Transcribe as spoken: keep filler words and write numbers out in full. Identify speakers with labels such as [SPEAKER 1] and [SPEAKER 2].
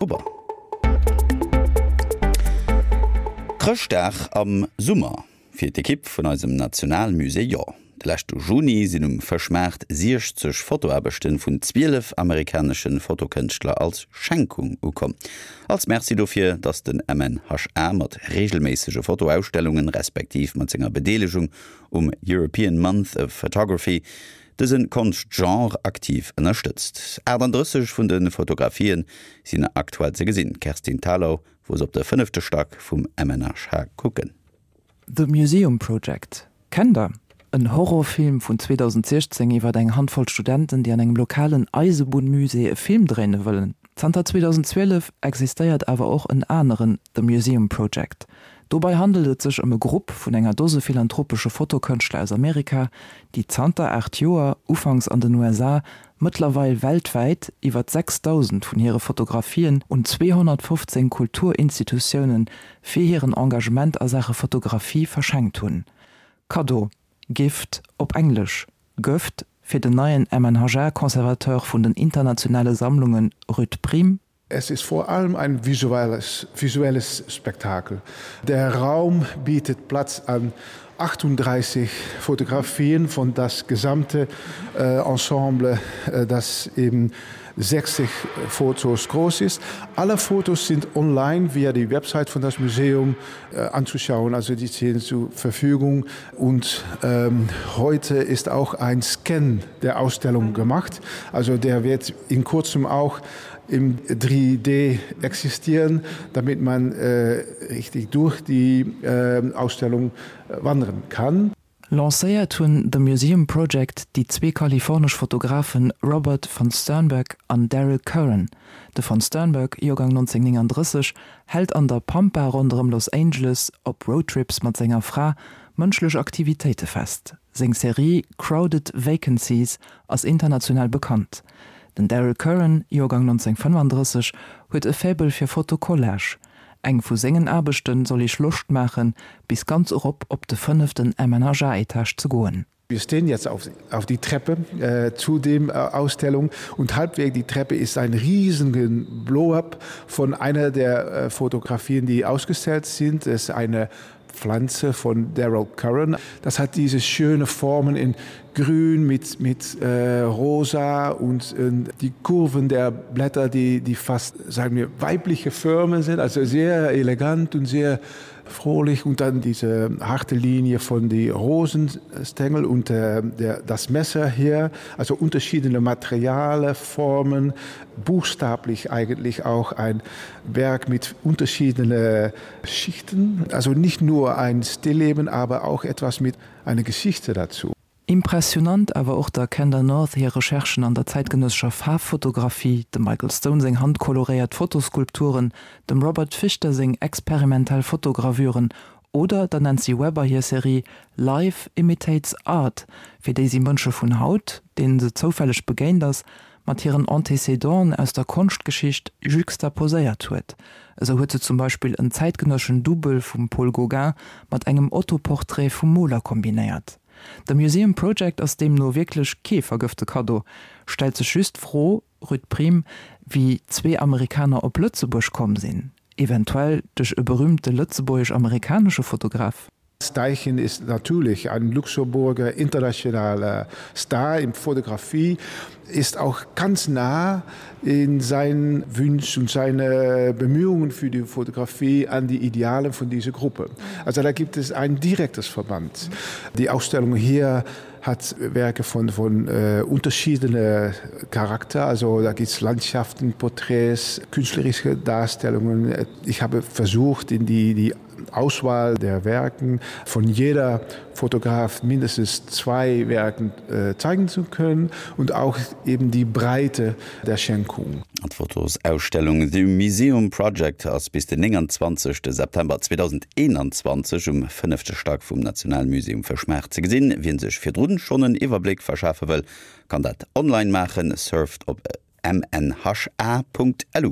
[SPEAKER 1] Gruber. Chrëschtdag am Summer? Fir d'Ekipp vun eisem Nationalmusée jo. De leschte Juni sinn um Fëschmaart siechzeg Fotoaarbechte vun zwielef amerikanesche Fotokënschtler als Schenkung ukomm. Als Merci dofir, datt den M N H A mat reegelméissege Fotoausstellungen, respektiv mat senger Bedeelegung um European Month of Photography, dëse Konschtgenre aktiv ënnerstëtzt. achtandrësseg vun de Fotografien sinn aktuell ze gesinn. Kerstin Thalau wor se op de fënnefte Stack vum M N H A kucken.
[SPEAKER 2] The Museum Project. Kennt der? En Horrorfilm vun zweedausendsiechzéng iwwer eng Handvoll Studenten, déi an engem lokalen Eisebunnmusée e Film dréine wëllen. Zanter zweedausendzwielef existéiert awer och en aneren The Museum Project. Dobäi handelt et sech ëm e Grupp vun enger Dose philanthropesche Fotokënschtler aus Amerika, déi zanter aacht Joer, ufanks an den U S A, mëttlerweil weltwäit, iwwer sechsdausend vun hire Fotografien un zweehonnertfofzéng Kulturinstitutioune fir hiren Engagement a Saache Fotografie verschenkt hunn. Kaddo, Gift op Englesch, Gëft fir den neien M N H A-Conservateur vun den internationale Sammlunge Ruud Priem.
[SPEAKER 3] Es ist vor allem ein visuelles, visuelles Spektakel. Der Raum bietet Platz an achtunddreißig Fotografien von das gesamte äh, Ensemble, äh, das eben sechzig Fotos groß ist. Alle Fotos sind online via die Website von das Museum äh, anzuschauen, also die stehen zur Verfügung. Und ähm, heute ist auch ein Scan der Ausstellung gemacht. Also der wird in kurzem auch im drei D existieren, damit man äh, richtig durch die äh, Ausstellung wandern kann.
[SPEAKER 2] Lancéiert hunn The Museum Project déi zwee kalifornesch Fotografen Robert von Sternberg an Daryl Curran. De von Sternberg, Joergang nonzénghonnertnénganddrësseg, hält an der Pampa ronderëm Los Angeles op Roadtrips mat senger Fra mënschlech Aktivitéite fest. Seng Serie Crowded Vacancies ass international bekannt. Den Daryl Curran, Joergang nonzénghonnertfënnefandrësseg, huet e Faible fir Fotocollage. Eng vu sengen Aarbechte soll iech Loscht maachen, bis ganz erop op de fënneften M N H A-Etage ze goen.
[SPEAKER 3] Wir stehen jetzt auf, auf die Treppe äh, zu dem äh, Ausstellung und halbweg die Treppe ist ein riesigen Blow-up von einer der äh, Fotografien, die ausgestellt sind. Es ist eine Pflanze von Daryl Curran. Das hat diese schöne Formen in Grün mit, mit äh, Rosa und äh, die Kurven der Blätter, die, die fast, sagen wir, weibliche Formen sind, also sehr elegant und sehr fröhlich und dann diese harte Linie von die Rosenstängel und äh, der, das Messer hier, also unterschiedene Materiale, Formen, buchstäblich eigentlich auch ein Werk mit unterschiedenen Schichten, also nicht nur ein Stillleben, aber auch etwas mit einer Geschichte dazu.
[SPEAKER 2] Impressionant awer och der Kendra North hir Recherchen an der zäitgenëssescher Faarffotografie, dem Michael Stone seng handkoloréiert Fotoskulpturen, dem Robert Fichter seng experimentell Fotogravüren oder der Nancy Weber hir Serie Life Imitates Art, fir déi si Mënsche vun haut, deenen se zoufälleg begéint ass, mat hiren Antecedenten aus der Konschtgeschicht juxtaposéiert huet. Esou huet se zum Beispill en zäitgenësseschen Dubbel vum Paul Gauguin mat engem Autoportrait vum Moler kombinéiert. The Museum Project ass deemno wierklech kee vergëfte Kaddo, stellt sech just d'Fro, Ruud Priem, wéi zwee Amerikaner op Lëtzebuerg komm sinn, eventuell duerch e berüümte lëtzebuergesch-amerikanesche Fotograf.
[SPEAKER 3] Steichen ist natürlich ein Luxemburger internationaler Star in Fotografie, ist auch ganz nah in seinen Wünschen und seine Bemühungen für die Fotografie an die Ideale von dieser Gruppe. Also da gibt es ein direktes Verband. Die Ausstellung hier hat Werke von, von äh, unterschiedene Charakter. Also da gibt es Landschaften, Porträts, künstlerische Darstellungen. Ich habe versucht, in die, die Auswahl der Werken von jeder Fotograf mindestens zwei Werken äh, zeigen zu können und auch eben die Breite der Schenkung.
[SPEAKER 1] D'Fotosausstellung The Museum Project ass bis den nénganzwanzegste September zweedausendeenanzwanzeg um fënnefte Stack vum Nationalmusée um Fëschmaart ze gesinn. Wien sech virdrun schonn en Iwwerbléck verschafe wëll, kann dat online maachen, surft op M N H A Punkt L U.